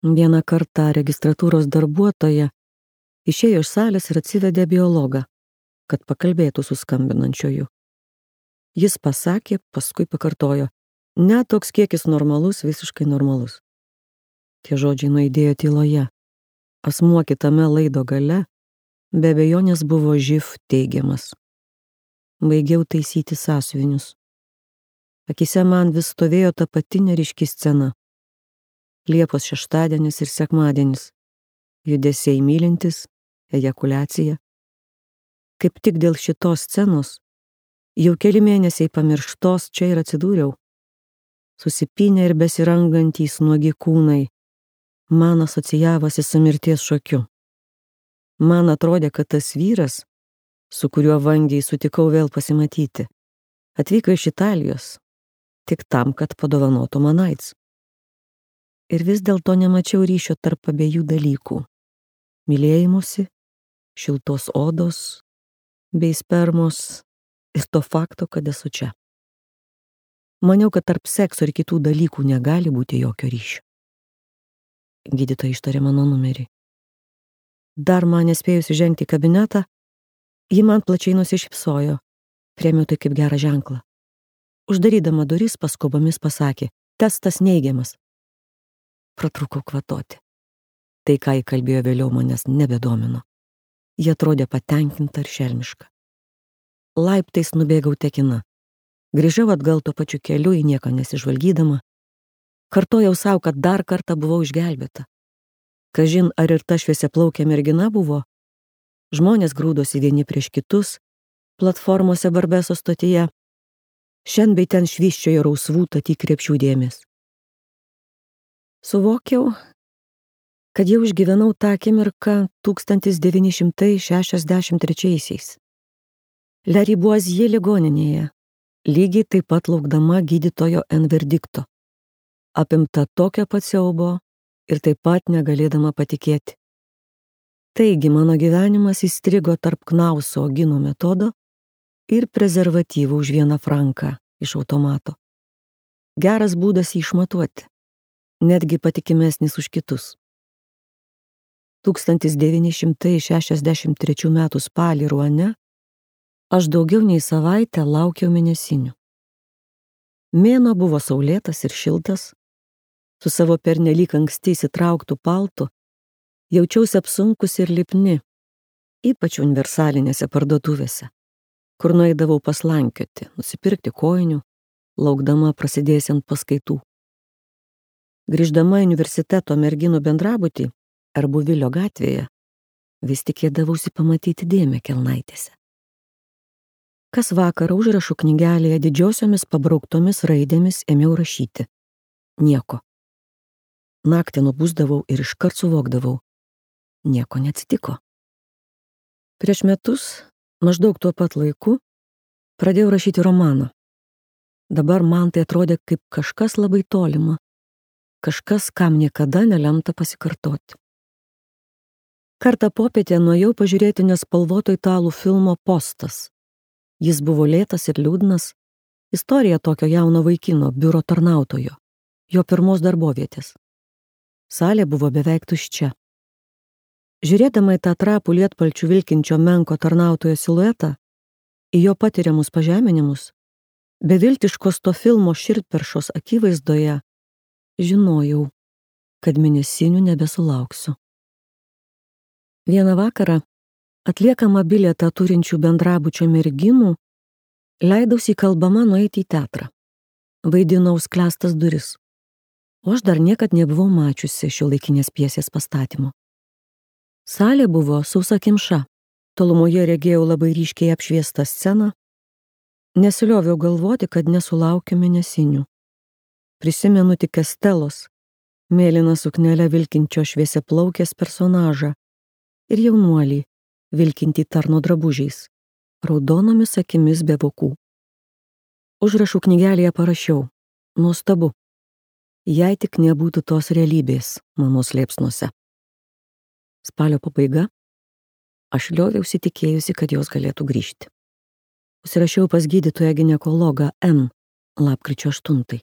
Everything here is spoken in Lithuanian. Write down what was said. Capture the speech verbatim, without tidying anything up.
Vieną kartą registratūros darbuotoja išėjo iš salės ir atsivedė biologą, kad pakalbėtų su skambinančioju. Jis pasakė, paskui pakartojo, ne toks kiekis normalus, visiškai normalus. Tie žodžiai nuaidėjo tyloje. Asmuo kitame laido gale be abejonės buvo živ teigiamas. Baigiau taisyti sąsiuvinius. Akise man vis stovėjo ta pati neryški scena. Liepos šeštadienis ir sekmadienis. Judesiai mylintis, ejakuliacija. Kaip tik dėl šitos scenos, jau keli mėnesiai pamirštos čia ir atsidūriau. Susipynę ir besirangantys nuogi kūnai, man asocijavosi su mirties šokiu. Man atrodė, kad tas vyras, su kuriuo vangiai sutikau vėl pasimatyti, atvyko iš Italijos, tik tam, kad padovanotų man AIDS. Ir vis dėlto nemačiau ryšio tarp abiejų dalykų. Mylėjimusi, šiltos odos, bei spermos ir to fakto, kad esu čia. Maniau, kad tarp sekso ir kitų dalykų negali būti jokio ryšio. Gydytoja ištarė mano numerį. Dar man nespėjusi žengti į kabinetą, ji man plačiai nusišypsojo, priėmiau tai kaip gerą ženklą. Uždarydama duris paskubomis pasakė, testas neigiamas. Pratrūkau kvatoti. Tai, ką ji kalbėjo vėliau, manęs nebedomino. Ji atrodė patenkinta ir šelmiška. Laiptais nubėgau tekina. Grįžau atgal tuo pačiu keliu, į nieką nesižvalgydama. Kartojau savo, kad dar kartą buvau išgelbėta. Kažin, ar ir ta šviesiaplaukė mergina buvo? Žmonės grūdosi vieni prieš kitus, platformose Barbeso stotyje. Šen bei ten švyščiojo rausvų tatį krepšių dėmės. Suvokiau, kad jau išgyvenau tą akimirką tūkstantis devyni šimtai šešiasdešimt trečiaisiais. Le Ribuazie ligoninėje, lygiai taip pat laukdama gydytojo N verdikto. Apimta tokio pat siaubo ir taip pat negalėdama patikėti. Taigi mano gyvenimas įstrigo tarp Knauso Ogino metodo ir prezervatyvų už vieną franką iš automato. Geras būdas jį išmatuoti, netgi patikimesnis už kitus. tūkstantis devyni šimtai šešiasdešimt trečių metų spalį Ruane aš daugiau nei savaitę laukiau mėnesinių. Mėnuo buvo saulėtas ir šiltas, su savo pernelyg anksti įsitrauktų paltu jaučiausi apsunkusi ir lipni, ypač universalinėse parduotuvėse, kur nueidavau paslankioti, nusipirkti kojinių, laukdama prasidėsiant paskaitų. Grįždama į universiteto merginų bendrabutį Arbuvilio gatvėje, vis tikėdavausi pamatyti dėmę kelnaitėse. Kas vakarą užrašų knygelėje didžiosiomis pabrauktomis raidėmis ėmiau rašyti. Nieko. Naktį nubusdavau ir iškart suvokdavau. Nieko neatsitiko. Prieš metus, maždaug tuo pat laiku, pradėjau rašyti romaną. Dabar man tai atrodė kaip kažkas labai tolima, kažkas, kam niekada nelemta pasikartoti. Kartą popietę nuėjau pažiūrėti nespalvoto italų filmo Postas. Jis buvo lėtas ir liūdnas, istorija tokio jauno vaikino, biuro tarnautojo, jo pirmos darbovietės. Salė buvo beveik tuščia. Žiūrėdama į tą trapų lietpalčių vilkinčio menko tarnautojo siluetą, į jo patiriamus pažeminimus, beviltiškos to filmo širdperšos akivaizdoje, žinojau, kad mėnesinių nebesulauksiu. Vieną vakarą, atliekama bilietą turinčių bendrabučio merginų, leidausi kalbama nueiti į teatrą. Vaidinau Sklęstas duris. O aš dar niekad nebuvau mačiusi šiuolaikinės pjesės pastatymo. Salė buvo sausakimša. Tolumoje regėjau labai ryškiai apšviestą sceną. Nesilioviau galvoti, kad nesulaukiu mėnesinių. Prisimenu tik Estelos, mėlyną suknelę vilkinčio šviesiaplaukės personažą ir jaunuolį, vilkintį tarno drabužiais, raudonomis akimis be vokų. Užrašų knygelėje parašiau, nuostabu, jei tik nebūtų tos realybės mano slėpsnuose. Spalio pabaiga, aš lioviausi tikėjusi, kad jos galėtų grįžti. Užsirašiau pas gydytoją ginekologą M. lapkričio aštuntai.